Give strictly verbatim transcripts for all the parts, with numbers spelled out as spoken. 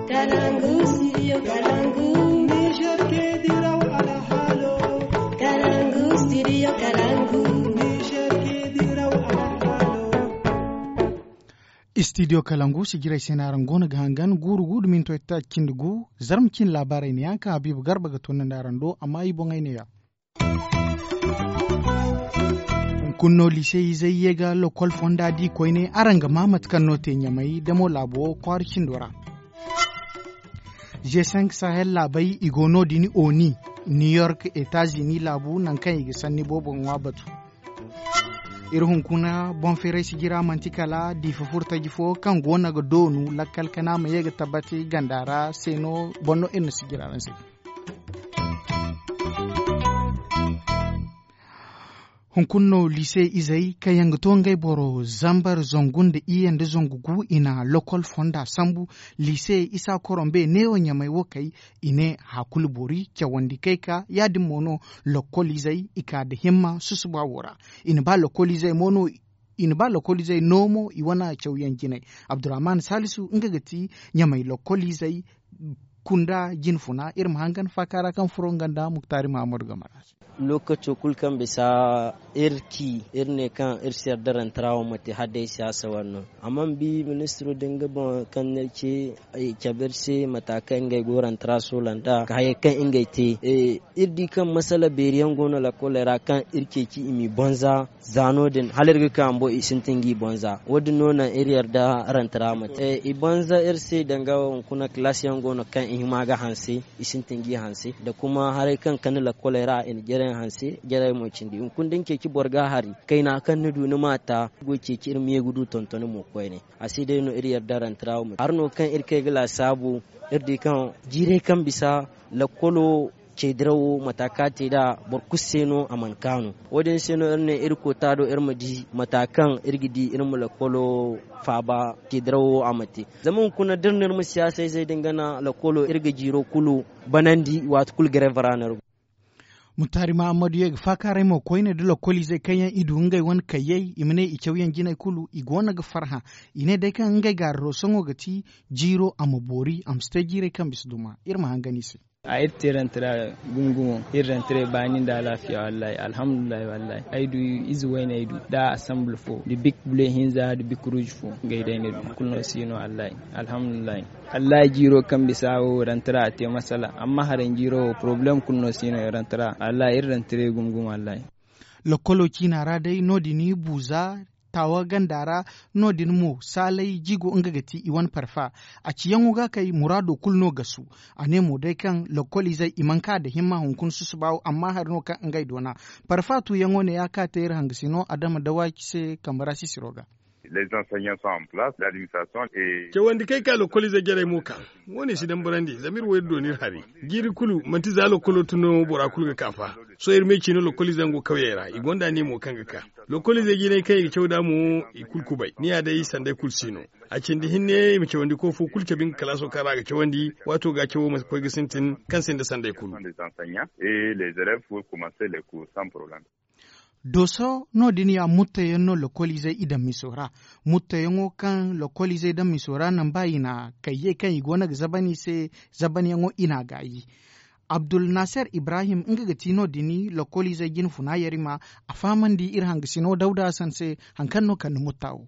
Kalangu, studio Kalangu. Niger ke diraw alhalo. Kalangu, studio Kalangu. Niger ke diraw alhalo. Studio Kalangu, sijiray se no araŋ goono ga hangan, guuru gu da minto itaacindi gu, zarma cine laabaarey ne yaŋ kaŋ Habiibu Garba ga toonandi araŋ do, amma i boŋey ne ya. Hunkuna no liise izey ye ga lokol fonda di koyne, araŋ ga maa mate kaŋ no te Ɲamay damo laabo kwaara cindo ra. G cinq Sahel laabey, i go no-din Oni, New York, Etazini laabu, nangu kaŋ i ga sanni boobo ŋwa batu. Iri hunkuna boŋ feeray sijira manti kala diifa furtaji fo kaŋ goono ga doonu lakkal kana ma ye ga tabbati ganda ra se no, boŋ no iri na sijira araŋ se. Hunkuna no liise izey kaŋ yaŋ ga to ngey boro zambar zangu nda iyye nda zangu gu, i na lokol fonda sambu. Liise isa korombe neewo Ɲamay wo kay, i ne hakulu boori cawandi kay ka, yaadin mo no lokol izey i ka nda himma susuba wo ra. I na ba lokol izey mo no I na ba lokoliizey no mo i wane cawyaŋ jinay. Abdurrahman Salisu, nga ga ti Ɲamay lokoliizey kunda jinfuna. Iri ma hangan faaka ra kaŋ furo nga nda Muktari Mahamadu game ra. Lookaco kulu kaŋ bisa iri ci, iri ne kaŋ iri si yarda rantara wo ma te hala day siyaasa wane no. Amma ni bi ministiro din ga boŋ kaŋ no iri ce, cabe iri se mata kaŋ ngey go rantara soola nd'a ka hayey kaŋ ngey te. Iri di kaŋ masala beeri yaŋ go no lakoley ra kaŋ iri ceeci i m'i bonza. Za no-din hala iri ga ka bumbo i sintin g'i bonza. Wo-din no naŋ iri yarda rantara ma te. I bonza iri se danga hunkuna kalaasi yaŋ go no kaŋ i hima ga hanse, i sintin g'i hanse nda kuma haray kaŋ kande lakoley ra i na jarey hanse, jarey mo cindi hunkuna da ni ceeci boro ga hari kayna kaŋ ni du ni m'a ta. Goy ceeci iri ma ye ga du tontoni mo koyne. A se day no iri yarda rantara wo ma te hari no kaŋ iri kay ga laasaabu. Iri di kaŋ jiirey kaŋ bisa lakolo ce dirawo mata kaŋ a te nd'a boro kulu se no a mana kaanu. Wo-din se no iri ne iri koota do iri ma di mata kaŋ iri ga di iri ma lakolo faaba ce dirawo a ma te. Zama hunkuna da iri na iri ma siyaasa izey din gana lakolo iri ga jiiro kulu banandi waati kulu gareeba ra no iri go. Mutari mahammadu ye ga faakaaray mo koyne da lokoliizey kaŋ yaŋ i du ngey wane kayyey i ma ne i cawyaŋ jinay kulu i go no ga farhã. I ne day kaŋ ngey gaari roosoŋo ga ti jiiro a ma boori a ma si te jiirey kaŋ bisa duma. Iri ma hangan i se. A iri te rantira gumo gumo. Iri rantira baani nda alaafiya wallaahi alhamdulillahi wallaahi ay du ize wayne ay du da asamble fo da bik bule hinza da bik ruuj fo. Ngey day ne du kulu no si no wallaahi. Alhamdulillahi. Wallaahi jiiro kaŋ bisa wo rantira a te masala amma haray jiiro wo poroblem kulu no si no rantira wallaahi iri rantira gumo gumo wallaahi. Lokolo ciina ra day no- din buuza taawa ganda ra. No- din mo saalay jigo nga ga ti i wane parfa. A ciyaŋo ga kay muraado kulu no gasu. A ne mo day kaŋ lokoliizey i mana ka nda himma hunkuna susuba wo amma hari no kaŋ ngey doona. Parfa tuuyaŋo ne ya ka te iri hangasino adama dawaaki se kambe ra sisiro ga. Cawandi kay ka lokoliizey jarey mo ka. Wo- ne si dambarandi zama iri wo iri doona iri hari. Jiiri kulu manti za lokolo tun no bora kulu ga ka fa. Sohõ iri me ciino lokoliizey yaŋ go kawyey ra i gonda ne mo kaŋ ga ka. Lokoliizey jinay kaŋ i ga caw nd'a mo i kulu kubay ni ya day sanday kulu si no. A cindi hinne i ma cawandi koofo kulu cabe nga kalaaso kaŋ ra a ga cawandi. Waato ga cawo ma koy ga sintin kaŋ sinda sanday kulu. Dooso no- din ya mutteyaŋ no lokoliizey i daŋ miso ra. Mutteyaŋo kaŋ lokoliizey daŋ miso ra naŋ ba i na kayyey kaŋ i go no ga zaban i se. Zabanyaŋo i n'a gaayi. Abdulnaser ibrahim nga ga ti no- din lokoliizey jinfuna yarima. A fahamandi iri hangasino dawda hasan se. Hari kaŋ no kande mutta wo.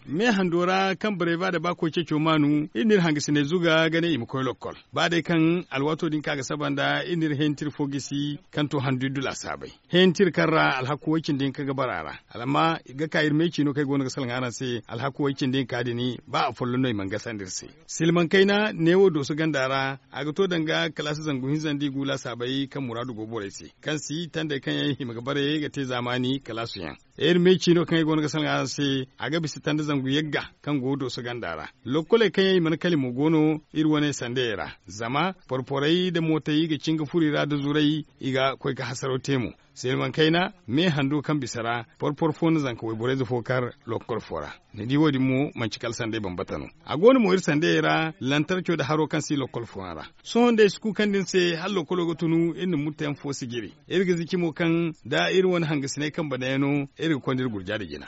Me hando ra kaŋ barey ba da ba koy ceeco maanu iri n'iri hangasiney zuga ga ne i ma koy lokkol. Ba day kaŋ alwaato din ka ga saba nda iri n'iri heentir fo gisi kaŋ to handu iddu laasaabey. Heentir kaŋ ra alhaku way-cindi hinka ga bara a ra. Alama ga ka iri me ciino kaŋ ay go no ga salaŋ araŋ se alhaku way-cindi hinka din. Ba afolloŋ no i mana gasandi iri se. Silmaŋ kayna neewo dooso ganda ra. A ga to danga kalaasi zangu hinza nda i gu laasaabey kaŋ muraadu go borey se kaŋ si tandey kaŋ yaŋ i hima ga bare ga te zaamaani kalaasu yaŋ. Iri me ciino kaŋ ay go no ga salaŋ araŋ se. A ga bisa tanda zangu yagga kaŋ go dooso ganda ra. Lokkoley kaŋ yaŋ i mana kala i mo go no iri wane sandayey ra. Zama porporey nda mootey ga cin ga furo i ra nda zuray. I ga koy ga hasaraw te mo. Silmaŋ kayna me hando kaŋ bisa ra porpor fo na zanka wayborey ze fo kar lokkol fo ra. Ni di wo- din mo manci kala sanday bambata no. A go no mo iri sandayey ra lantarco nda haro kaŋ si lokkol fooyaŋ ra. Sohõ nda ay si kuukandi ni se hala lokkolo ga tunu iri na mutteyaŋ fo sijiri. Iri ga ziki mo kaŋ da iri wane hangasiney kaŋ banayaŋ no iri ga konda iri gurja nda jina.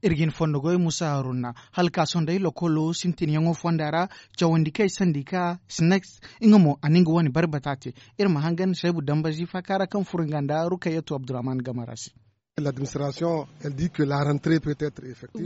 Iri ga hin fondo goy musa haruna hala ka sohõ day lokolo sintinyaŋo fonda ra, cawandi kaŋ ay sandi ka snacks nga mo a na nga wane barbata te. Iri ma hangan saybu dambazi faaka ra kaŋ furo nga nda rukayatu abdurrahman gamara se.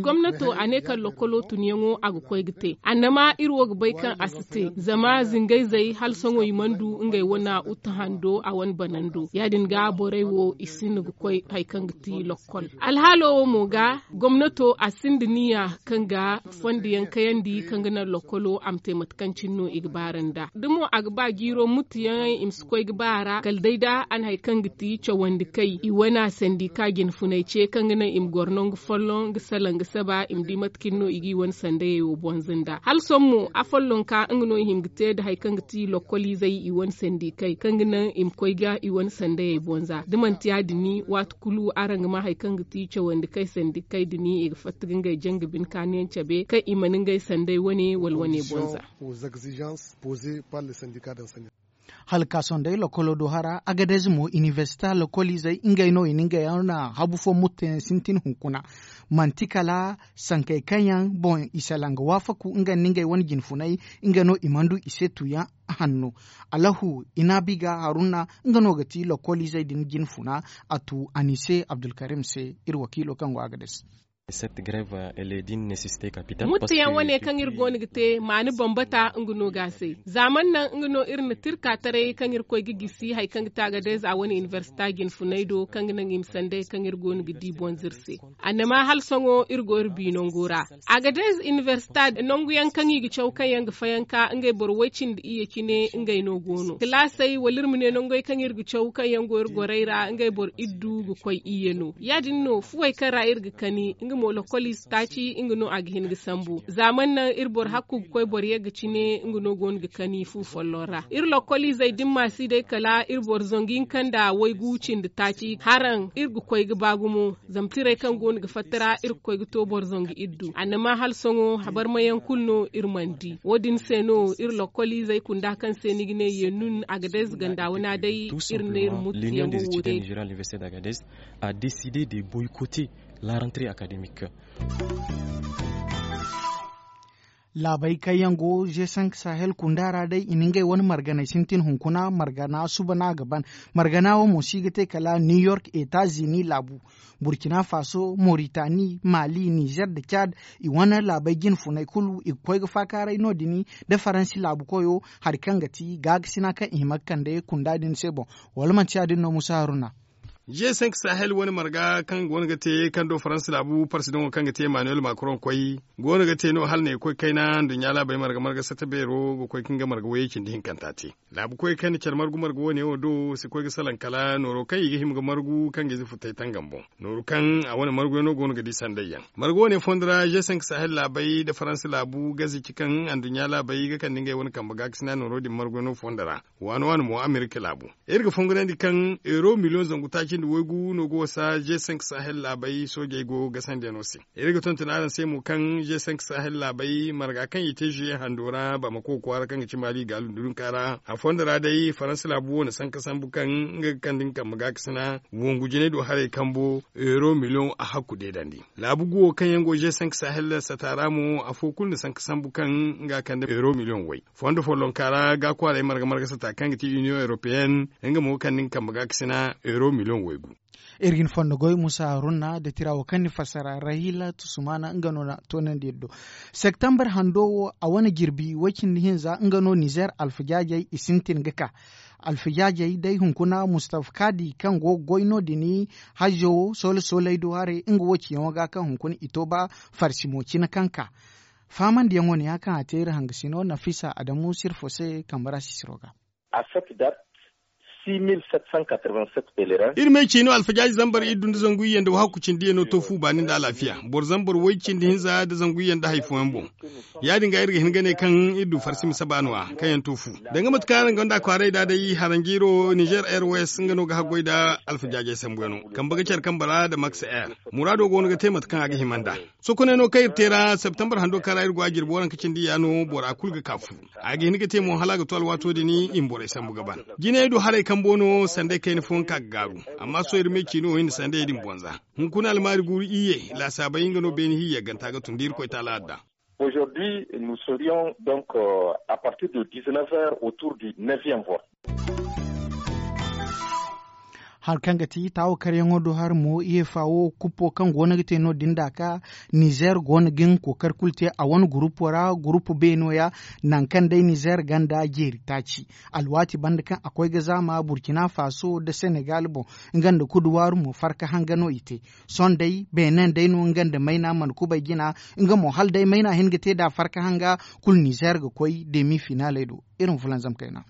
Gomnato a ne kaŋ lokolo tunyaŋo a ga koy ga te annama iri wo ga bay kaŋ a si te zama zingayzey hala sohõ i mana du ngey wane uta hando a wane banando ya- din ga borey wo i sinda ga koy hari kaŋ ga ti lokol alhaalo wo mo ga gomnato a sinda niya kaŋ ga fondo yaŋ kayandi kaŋ ga naŋ lokolo a ma te mate kaŋ cine no i ga baara nd'a da mo a ga ba jiiro mutu yaŋey i ma si koy ga ba a ra kala day da a na hari kaŋ ga ti cawandi kay i wane sandi ka jinfunay ce kaŋ ga naŋ i ma goro nangu folloŋ ga salaŋ ga saba i ma di mate cine no i ga i wane sandayey wo bonza nd'a hala sohõ mo afollonka nga no i hima ga te nda hari kaŋ ga ti lokoliizey i wane sandi kay kaŋ ga naŋ i ma koy ga i wane sandayey bonza da manti ya- din waati kulu araŋ ga ma hari kaŋ ga ti cawandi kay sandi kay din i ga fatta ga ngey janga bine kaanu yaŋ cabe kaŋ i mana ngey sanday wane wala wane bonza. Hala ka sohõ day lokolo do hara agadez mo iniversita lokoliizey ngey no i na ngey yaŋ na habu fo mutto yaŋ sintin hunkuna. Manti kala sankey kaŋ yaŋ boŋ i salaŋ ga waafaku nga nda ngey wane jinfunay nga no i mana du i se tuuyaŋ hanno. Allahu inabi ga haruna nga no ga ti lokoliizey din jinfuna a tu anise abdulkarim se iri wakiilo kaŋ go agadez. Muttayaŋ wane kaŋ iri go no ga te maani bambata nga no ga a se zaamani naŋ nga no iri na tirka taray kaŋ iri koy ga gisi hari kaŋ ga te agadez a wane iniversita jinfunay do kaŋ ga naŋ i ma sanday kaŋ iri go no ga di bonza iri se. Annama hala sohõ iri go iri bi nango ra. Agadez iniversita nangu yaŋ kaŋ i ga caw kaŋ yaŋ ga fayanka ngey boro way cindi iyye cine ngey no go no kilaasey wala iri ma ne nangey kaŋ iri ga caw kaŋ yaŋ go iri gorey ra ngey boro iddu ga koy iyye no ya- din no fuwey kaŋ ra iri ga kani nga mo lokoliize taaci nga no a ga hin ga sambu zaamani naŋ iri boro hakku ga koy boro yagga cine nga no go no ga kani fu folloŋ ra iri lokoliizey da ni ma si day kala iri boro zangu hinka nda waygu cindi taaci haraŋ iri ga koy ga ba gumo. Zama tirey kaŋ go no ga fatta ra iri ga koy ga to boro zangu iri du annama hala sohõ habarmayaŋ kulu no iri mana di wo- din se no iri lokoliizey kunda kaŋ se ni ga ne ye nun agadez ganda wana day iri ne iri mutu yaŋ wo day. A décidé de boycotter la rentrée académique. Laabey kaŋ yaŋ go g cinq sahel kunda ra day i na ngey wane marganey sintin hunkuna margana suba no a ga ban. Margana wo mo si ga te kala new york etazini laabu, burkina faso, moritani, mali, nizer nda cad. I wane laabey jinfuney kulu i ga koy ga faakaaray no- din nda faransi laabu koyo hari kaŋ ga ti gaakasina kaŋ i hima ga kande kunda din se boŋ. Wala manti ya- din no musa haruna? G cinq sahel wane marga kaŋ go no ga te kaŋ do faransa laabu parsidaŋo kaŋ ga te emmanuel macron koy go no ga te no hala ne ga koy kayna nduɲɲa laabey marga marga satta beero ga koy kaŋ ga marga wayey cindi hinkanta te. Laabu koy kaŋ na care margu marga wane wo do si koy ga salaŋ kala nooro kaŋ i ga hima ga margu kaŋ ga ize futay tangam boŋ. Nooru kaŋ a wane marguyaŋo go no ga di sandayyaŋ margu wane fondo ra g cinq sahel laabey nda faransa laabu gaze ci kaŋ anduɲɲa laabey ga kande ngey wane kambe gaakasina nooro din marguyaŋo fondo ra. Waano waano mo amerika laabu iri ga fongonandi kaŋ euro miliyoŋ zangu taaci nda waygu no ga wasa g cinq sahel laabey soojey go gasandiyaŋo se. Iri ga tonton araŋ se mo kaŋ g cinq sahel laabey marga kaŋ i te juye hando ra bamako kwaara kaŋ ga ci mali gaalu nda dunka ra a fondo ra day faransa laabu wo na sanka sambu kaŋ nga ga kande nga kambe gaakasina wongu jinay do haray kambo euro miliyoŋ a hakku deedandi. Laabu guwo kaŋ yaŋ go g cinq sahel sata ra mo afo kulu na sanka sambu kaŋ nga kande euro miliyoŋ way. Fondo follonka ra ga kwaaray marga marga sata kaŋ ga ti union européenne nga mo ga kande nga kambe gaakasina euro miliyoŋ waygu. Iri ga ni fondo goy musa haruna da tira wo kaŋ ni fassara rahila tusumana nga no na toonandi iri do. Septembre hando wo a wane jirbi way cindi hinza nga no nizer alfajaajey i sintin ga ka. Alfajaajey day hunkuna mustafa kadi kaŋ go ga goy no- din hajjo wo soole sooley do haray nga wo ciyaŋo ga kaŋ hunkuna i to ba farsimo cine kaŋ ka. Faamandiyaŋo ne ya kaŋ a te iri hangasino nafisa adamu sirfo se kambe ra sisiro ga. Iri me ciino alfajaaji zambar iri du nda zangu iyye nda wahakku cindi iyye no to fu baani nda alaafiya boro zambar way cindi hinza nda zangu iyye nda hari fooyaŋ boŋ. Ya- din ga iri ga hin ga ne kaŋ iri du farsi ma saba no- ya kaŋ yaŋ to fu. Danga mate kaŋ araŋ gonda kwaaray da day haranjiiro nizer airways nga no ga haggoy nda alfajaajey sambuyaŋo kambe ga care kambe ra nda max air. Muraado go no ga te mate kaŋ a ga hima nd'a. Sokoney no kaŋ iri te ra septembre hando kaŋ ra iri go a jirbi waranka cindi ya no bora kulu ga ka fu. A ga hin ga te mo hala a ga to alwaato din i ma borey sambu ga ban. Jinay do haray kaŋ Bumbo no sanday kayna fooyaŋ ka ga gaaru. Amma sohõ iri ma ay ci no iri na sanday din bonza. Hunkuna almaari guuru iyye laasaabey nga no beene hiiyaganta ga tun da irkoy taala adda. Aujourd'hui nous serions donc à partir de dix-neuf heures autour du neuvième voie. Hari kaŋ ga ti taawo karyaŋo do hari mo iyefa wo kuppo kaŋ go no ga te no- din da ka nizer go no ga nga kookari kulu te a wane gurupo ra gurupo beeno ya. Nangu kaŋ day nizer ganda jeeri taaci alwaati banda kaŋ a koy ga zaama burkina faso nda senegal boŋ. Nga nda kuduwaaru mo farka hanga no i te. Sohõ day beene day no nga nda mayna mana kubay jina. Nga mo hala day mayna hin ga te da farka hanga kulu nizer ga koy demi finaaley do. Iri ma fulanzam kayna.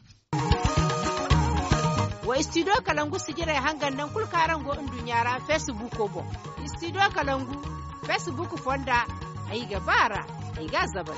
Wa studio kalangu sijirey hangan naŋ kulu kaŋ araŋ go nduɲɲa ra facebook boŋ. Studio kalangu facebook fonda ay ga ba ra ay ga a zabay.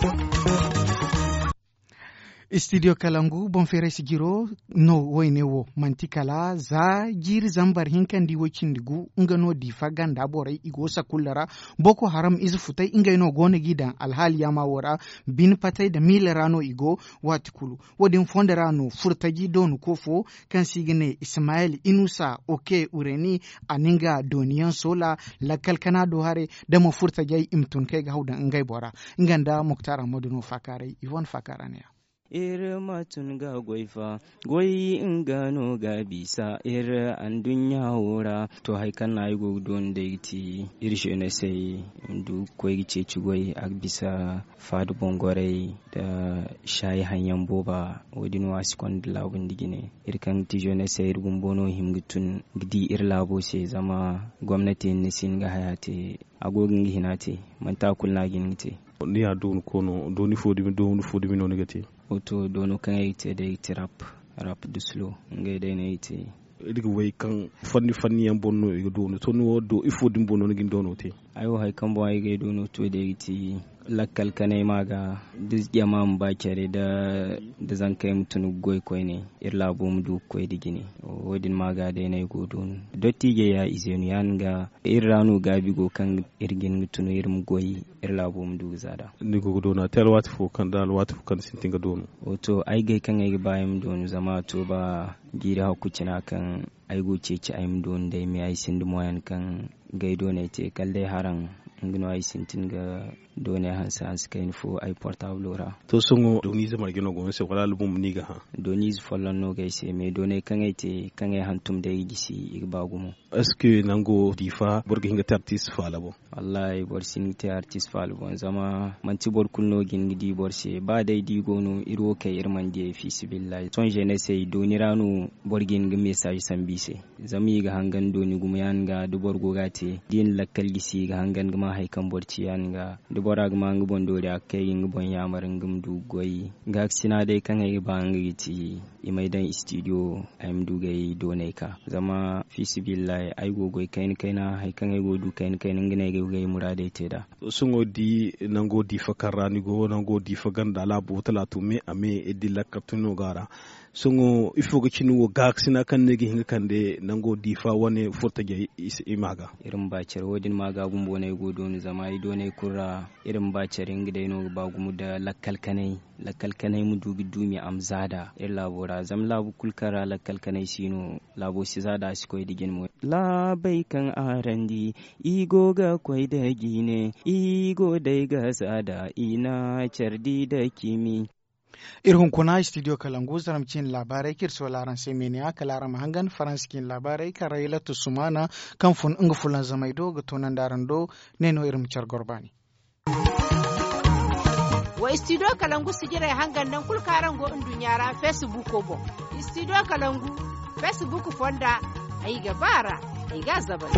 Studio kalangu boŋ feeray sijiro no woyne wo manti kala za jiiri zambar hinka nda i woy cindi gu nga no diifa ganda borey i go sakulla ra. Boko haram ize futay ngey no go no g'i daŋ alhaali yaama wo ra. Bine patay nda miila ra no i go. Waati kulu wo- din fondo ra no furtaji doonu koofo kaŋ se i ga ne ismayel inusa oke ureni. A na nga dooniyaŋ soola lakkal kana do haray da ma furtajey i ma tun kaŋ ay ga haw daŋ ngey bora. Nga nda muktar ahmadu no faakaaray i wane faakaara ne-ya. Iri ma tun ga goy fa goy nga no ga bisa iri anduɲɲa wo ra. To hari kaŋ no ay go ga doonu day ga ti iri zenesey ma du ga koy ga ceeci goy a ga bisa faada bongorey nda saayi haŋ yaŋ booba. Wo- din wo a si konda laabu nda jine iri kaŋ ga ti zenesey iri bumbo no hima ga tun ga di iri laabo se zama gomnati hinne si hin ga haya te. A go ga nga hina te manti a kulu no a ga hin ga te. Ni ya doonu koono dooni fo dumi dooni fo dumi no ni ga te? Wato doono kaŋ ay ga te day ga ti rap rap da slow ngey day no ay ga te. Iri ga way kaŋ fanni fanni yaŋ boŋ no i ga doonu to ni wo do ifo din boŋ no ni ga ni doono te? Ay wo hari kaŋ boŋ ay ga ay doono to day ga ti lakkal kanay ma ga da jama ma ba care da zankey ma tun ga goy koyne iri laabo ma du ga koy nda jine. Wo- din ma ga day no ay go doonu. Dottijey ya izeenu ya nga iri ra no gaabi go kaŋ iri ga hin ga tun iri ma goy iri laabo ma du ga za nd'a. Ni go ga doona te alwaati fo kaŋ da alwaati fo kaŋ ni sintin ga doonu? Wato ay gay kaŋ ay ga ba ay ma doonu zama a to ba jiiri hakku cina kaŋ ay go ceeci ay ma doonu day me ay sinda moyen kaŋ ga ay doonay te kala day haraŋ. Nga no ay sintin ga doonay hanse hanse kayna fo ay portablo ra. To sohõ dooniize marje no go ni se wala album no i ga hã? Dooniize folloŋ no ga ay se me doonay kaŋ ay te kaŋ ay hantum day i gisi i ga ba gumo. Est ce que nango diifa boro ga hin ga te artist faala boŋ? Wallahi boro si hin ga te artist faala boŋ zama manti boro kulu no ga hin ga di boro se ba day da i go no iri wo kay iri mana di ay fiisabilillahi sohõ zenesey dooni ra no. Boro ga hin ga message sambu i se zama i ga hangan dooni gumo ya nga da boro go ga a te da i na lakkal gisi i ga hangan ga ma hari kaŋ boro ci ya nga da bora ga ma nga boŋ doori a ga kay ga nga boŋ yaamar nga ma du ga goy. Gaakasina day kaŋ ay ga ba nga ga ti i m'ay daŋ studio ay ma du ga ay doonay ka zama fiisabilillahi ay go ga goy kayna kayna hari kaŋ ay go ga du kayna kayna nga no ay ga ay muraadey te nd'a. Sohõ di nango diifa kaŋ ra ni go nango diifa ganda laabo talaatu me a me da lakkal tun no ga a ra. Sohõ ifo ga cine wo gaakasina kaŋ no ay ga hin ga kande nango diifa wane furtajey i ma ga? Iri ma ba care wo- din ma ga bumbo no ay go doonu zama ay doonay kulu ra. Iri ma ba care nga day no ga ba gumo nda lakkal kanay lakkal kanay ma du ga duumi a ma za nd'a iri laabo ra zama laabu kulu kaŋ ra lakkal kanay si no laabo si za nd'a a si koy nda jine mo. Laabey kaŋ araŋ di i go ga koy nda jiine i go day ga za nd'a i na care di nda ciimi. Iri hunkuna studio kalangu zarma ciine laabaarey kaŋ iri soola araŋ se meene-ya kala araŋ ma hangan faransa ciine laabaarey kaŋ ra yalatu sumaana kaŋ fun nga fulanzamey do ga toonandi araŋ do. Ne no iri ma care goro baani. Wa studio kalangu sijirey hangan naŋ kulu kaŋ araŋ go nduɲɲa ra facebook boŋ. Studio kalangu facebook fonda ay ga ba a ra ay ga a zabay.